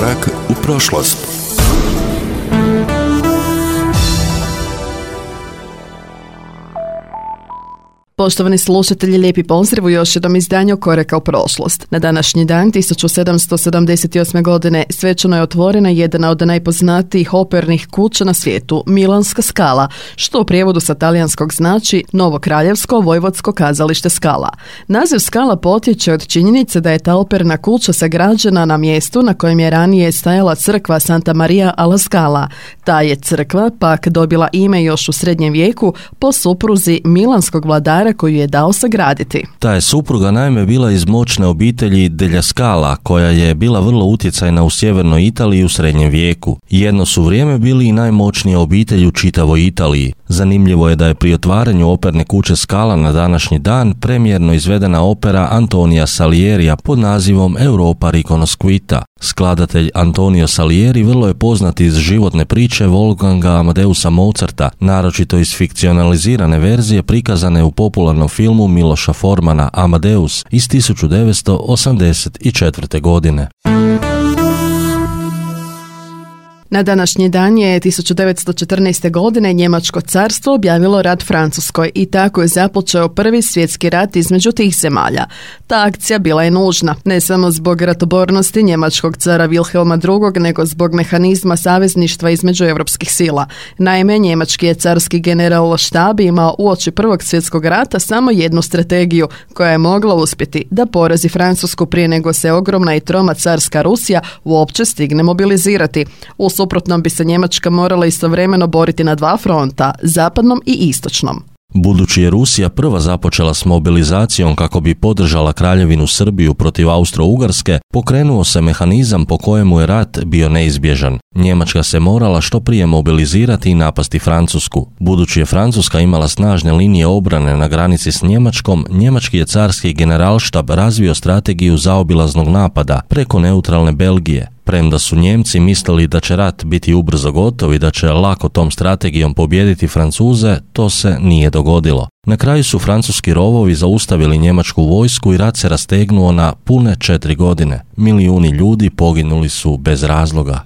Korak u prošlost. Poštovani slušatelji, lijepi pozdrav u još jednom izdanju Koraka u prošlost. Na današnji dan 1778. godine svečano je otvorena jedna od najpoznatijih opernih kuća na svijetu, Milanska Scala, što u prijevodu sa talijanskog znači Novo kraljevsko vojvodsko kazalište Scala. Naziv Scala potječe od činjenice da je ta operna kuća sagrađena na mjestu na kojem je ranije stajala crkva Santa Maria alla Scala. Ta je crkva pak dobila ime još u srednjem vijeku po supruzi milanskog vladara koju je dao sagraditi. Ta je supruga naime bila iz moćne obitelji Degli Scala, koja je bila vrlo utjecajna u sjevernoj Italiji u srednjem vijeku. Jedno su vrijeme bili i najmoćnija obitelj u čitavoj Italiji. Zanimljivo je da je pri otvaranju operne kuće Scala na današnji dan premijerno izvedena opera Antonija Salierija pod nazivom Europa riconosciuta. Skladatelj Antonio Salieri vrlo je poznat iz životne priče Wolfganga Amadeusa Mozarta, naročito iz fikcionalizirane verzije prikazane u popularnom filmu Miloša Formana Amadeus iz 1984. godine. Na današnji dan je 1914. godine Njemačko carstvo objavilo rat Francuskoj i tako je započeo Prvi svjetski rat između tih zemalja. Ta akcija bila je nužna, ne samo zbog ratobornosti njemačkog cara Wilhelma II, nego zbog mehanizma savezništva između europskih sila. Naime, njemački je carski general štab imao uoči Prvog svjetskog rata samo jednu strategiju koja je mogla uspjeti, da porazi Francusku prije nego se ogromna i troma carska Rusija uopće stigne mobilizirati. U suprotnom bi se Njemačka morala istovremeno boriti na dva fronta, zapadnom i istočnom. Budući je Rusija prva započela s mobilizacijom kako bi podržala Kraljevinu Srbiju protiv Austro-Ugarske, pokrenuo se mehanizam po kojemu je rat bio neizbježan. Njemačka se morala što prije mobilizirati i napasti Francusku. Budući je Francuska imala snažne linije obrane na granici s Njemačkom, njemački je carski generalštab razvio strategiju zaobilaznog napada preko neutralne Belgije. Premda su Njemci mislili da će rat biti ubrzo gotov i da će lako tom strategijom pobijediti Francuze, to se nije dogodilo. Na kraju su francuski rovovi zaustavili njemačku vojsku i rat se rastegnuo na pune 4 godine. Milijuni ljudi poginuli su bez razloga.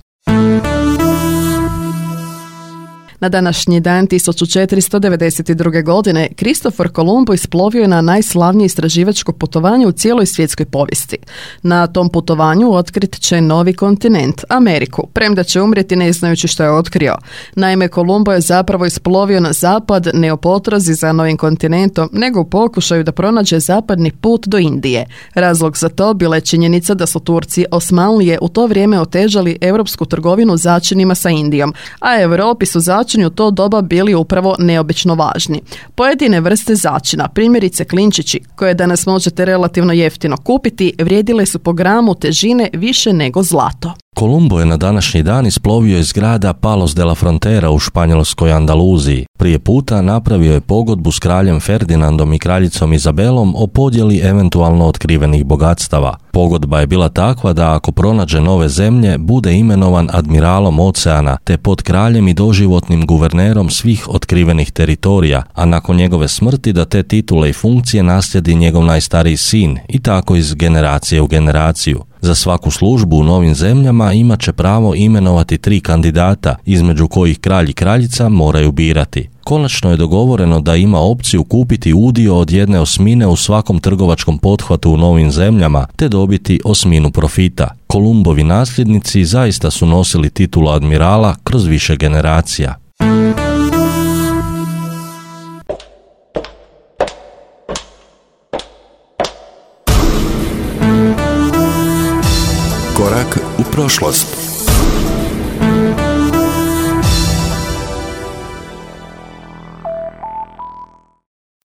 Na današnji dan 1492. godine Kristofor Kolumbo isplovio je na najslavnije istraživačko putovanje u cijeloj svjetskoj povijesti. Na tom putovanju otkrit će novi kontinent, Ameriku, premda će umrijeti ne znajući što je otkrio. Naime, Kolumbo je zapravo isplovio na zapad ne u potrazi za novim kontinentom, nego u pokušaju da pronađe zapadni put do Indije. Razlog za to bila je činjenica da su Turci Osmanlije u to vrijeme otežali europsku trgovinu začinima sa Indijom, a Europi su začini u to doba bili upravo neobično važni. Pojedine vrste začina, primjerice klinčići, koje danas možete relativno jeftino kupiti, vrijedile su po gramu težine više nego zlato. Kolumbo je na današnji dan isplovio iz grada Palos de la Frontera u španjolskoj Andaluziji. Prije puta napravio je pogodbu s kraljem Ferdinandom i kraljicom Izabelom o podjeli eventualno otkrivenih bogatstava. Pogodba je bila takva da ako pronađe nove zemlje, bude imenovan admiralom oceana, te pod kraljem i doživotnim guvernerom svih otkrivenih teritorija, a nakon njegove smrti da te titule i funkcije naslijedi njegov najstariji sin i tako iz generacije u generaciju. Za svaku službu u novim zemljama imat će pravo imenovati 3 kandidata, između kojih kralj i kraljica moraju birati. Konačno je dogovoreno da ima opciju kupiti udio od 1/8 u svakom trgovačkom pothvatu u novim zemljama, te dobiti 1/8 profita. Kolumbovi nasljednici zaista su nosili titulu admirala kroz više generacija. Korak u prošlost.